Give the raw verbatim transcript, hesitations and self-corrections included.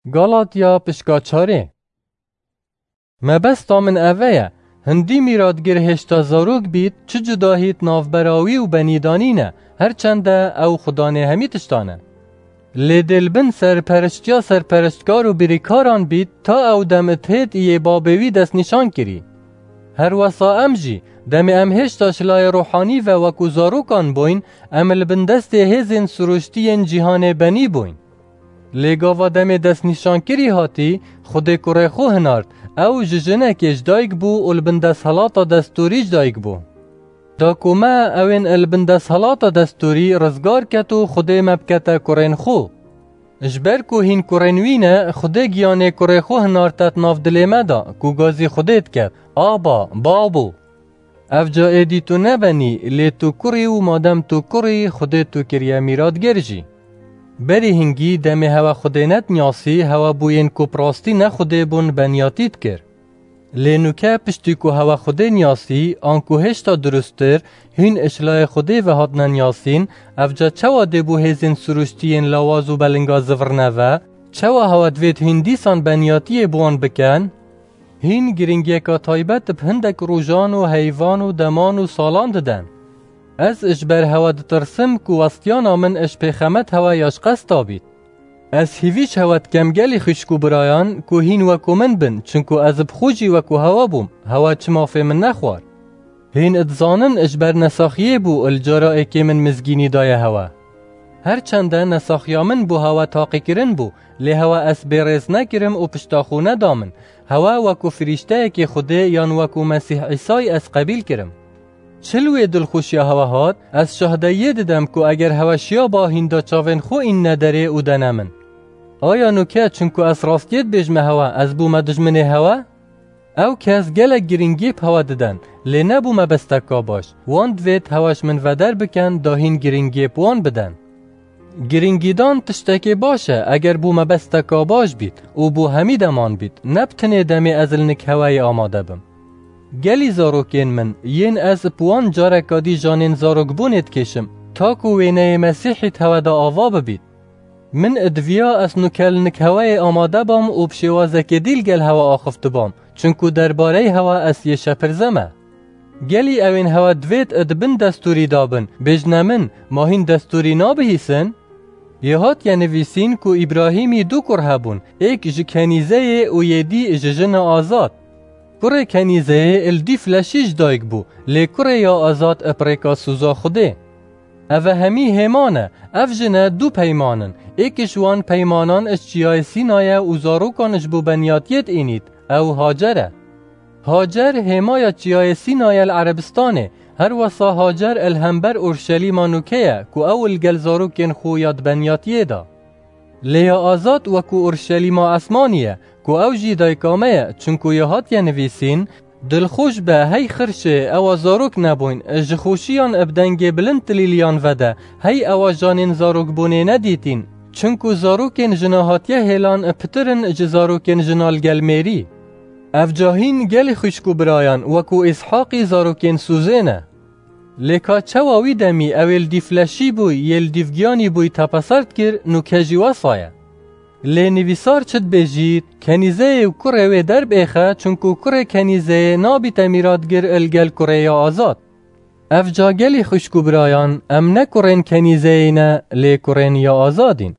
Galatya pişka çarê. Mebesta min eve ye, hindî mîratgir hêşta zarok bît, çi cudahî di navbera wî û benî da nîne, her çende ew xudanê hemî tiştan e. Lê dê li bin serperiştiya serperiştkar û birîkaran bît, ta ew dem id hêt yê babê wî destnîşan kirî. Her wesa em jî, demê em hêşta ji layê ruhanî ve wekû zarokan bûyn, em li bin destê hêzên sirûştî yên cîhanê benî bûyn. Lê gava demê destnîşankirî hatî, Xwedê kurê xwe hinart, ew ji jinekê ji dayik bû û li bin desthilata destûrî ji dayik bû. Da ku me ewên li bin desthilata destûrî rizgar ket û Xwedê me bikete kurên xwe. Ji ber ku hîn kurên wî ne, Xwedê giyanê kurê xwe hinarte di nav dilê me de, ku gazî Xwedê diket, Aba, Babo! Ev ca êdî tu nebenî, lê tu kurî û madem tu kurî, Xwedê tu kiriye mîratger jî. Berî hingî demê hewe Xwedê nediniyasî, hewe bû yên ku bi rastî ne Xwedê bûn beniyatî dikir. Lê nûke piştî ku hewe Xwedê niyasî, anku hêşta dirusttir, hîn ji layê Xwedê ve hatine niyasîn, ev ca çawa dê bo hêzên sirûştî yên lawaz û belinga zivirne ve? Çawa hewe divêt hîn dîsan beniyatiyê bi wan biken? Hîn giringiyeka taybet bi hindek rojan û heyvan û deman û salan diden. Ez ji ber hewe ditirsim ku westiyana min ji pêxemet hewe ya ji qesta bît. Ez hîvî ji hewe dikem gelî xwişk û birayan ku hîn wekû min bin, çinku ez bi xwe jî wekû hewe bûm, hewe çi mafê min nexwar. Hîn dizanin ji ber nesaxiyê bû li cara êkê min mizgînî daye hewe. Her çende nesaxiya min bo hewe taqîkirin bû, lê hewe ez bêrêz nekirim û pişta xwe neda min. Hewe wekû firîşteyekê Xwedê yan wekû Mesîh Îsay ez qebîl kirim. Çi li wê dilxweşiya hewe hat, ez şahdeyiyê didem ku eger hewe şiyaba hîn da çavên xwe înne derê û dene min. Aya nûke çinku ez rastiyê dibêjme hewe, ez bûme dijminê hewe? Ew kes gelek giringiyê bi hewe diden, lê nebû mebesteka baş. Wan divêt hewe ji min veder biken, da hîn giringiyê bi wan biden. Giringîdan tiştekê baş e, eger bû mebesteka baş bît û bû hemî deman bît, ne bi tinê demê ez li nik heweyê amade bim. Gelî zarokên min, yên ez bi wan careka dî janên zarokbûnê dikêşim, ta ku wêneyê Mesîhî di hewe de ava bibît. Min diviya ez nûke li nik heweyê amade bam û bi şêwazekê dî li gel hewe axiftibam, çinku derbareyê hewe ez yê şepirze me. Gelî ewên hewe divêt di bin destûrî de bin, bêjne min, ma hîn destûrî nabihîsin? Yê hatiye nivîsîn ku Îbrahîmî du kur hebûn, êk ji kenîzeyê û yê dî ji jina azad. Kurê kenîzeyê li dîf leşî ji dayik bû, lê kurê ya azad bi rêka soza Xwedê. Eve hemî hêman e, ev jine du peyman in, êk ji wan peymanan ji çiyayê Sînay e û zarokan ji bo beniyatiyê diînît, ew Hacer e. Hacer hêmaya çiyayê Sînay e li Erebistanê, her wesa Hacer li hember Urşelîma nûke ye ku ew li gel zarokên xwe ya di beniyatiyê de. Lê ya azad wekû Urşelîma esmanî ye, ku ew jî dayika me ye, çinku ya hatiye nivîsîn, Dilxweş be, hey xirşê, ewa zarok nebûyn, ji xweşiyan bi dengê bilind tilîliyan vede, hey ewa janên zarokbûnê nedîtîn. Çinku zarokên jina hatiye hêlan pitir in ji zarokên jina li gel mêrî. Ev ca hîn gelî xwişk û birayan, wekû Îshaqî zarokên Sûzê ne. Lê ka çawa wî demî ew ê li dîf leşî bûy, yê li dîf giyanî bûy tepeser dikir, nûke jî wesa ye. Lê nivîsar çi dibêjît, kenîzeyê û kurê wê derbêxe, çunku kurê kenîzeyê nabîte mîratgir li gel kurê ya azad. Ev ca gelî xwişk û birayan, em ne kurên kenîzeyê ne, lê kurên ya azad în.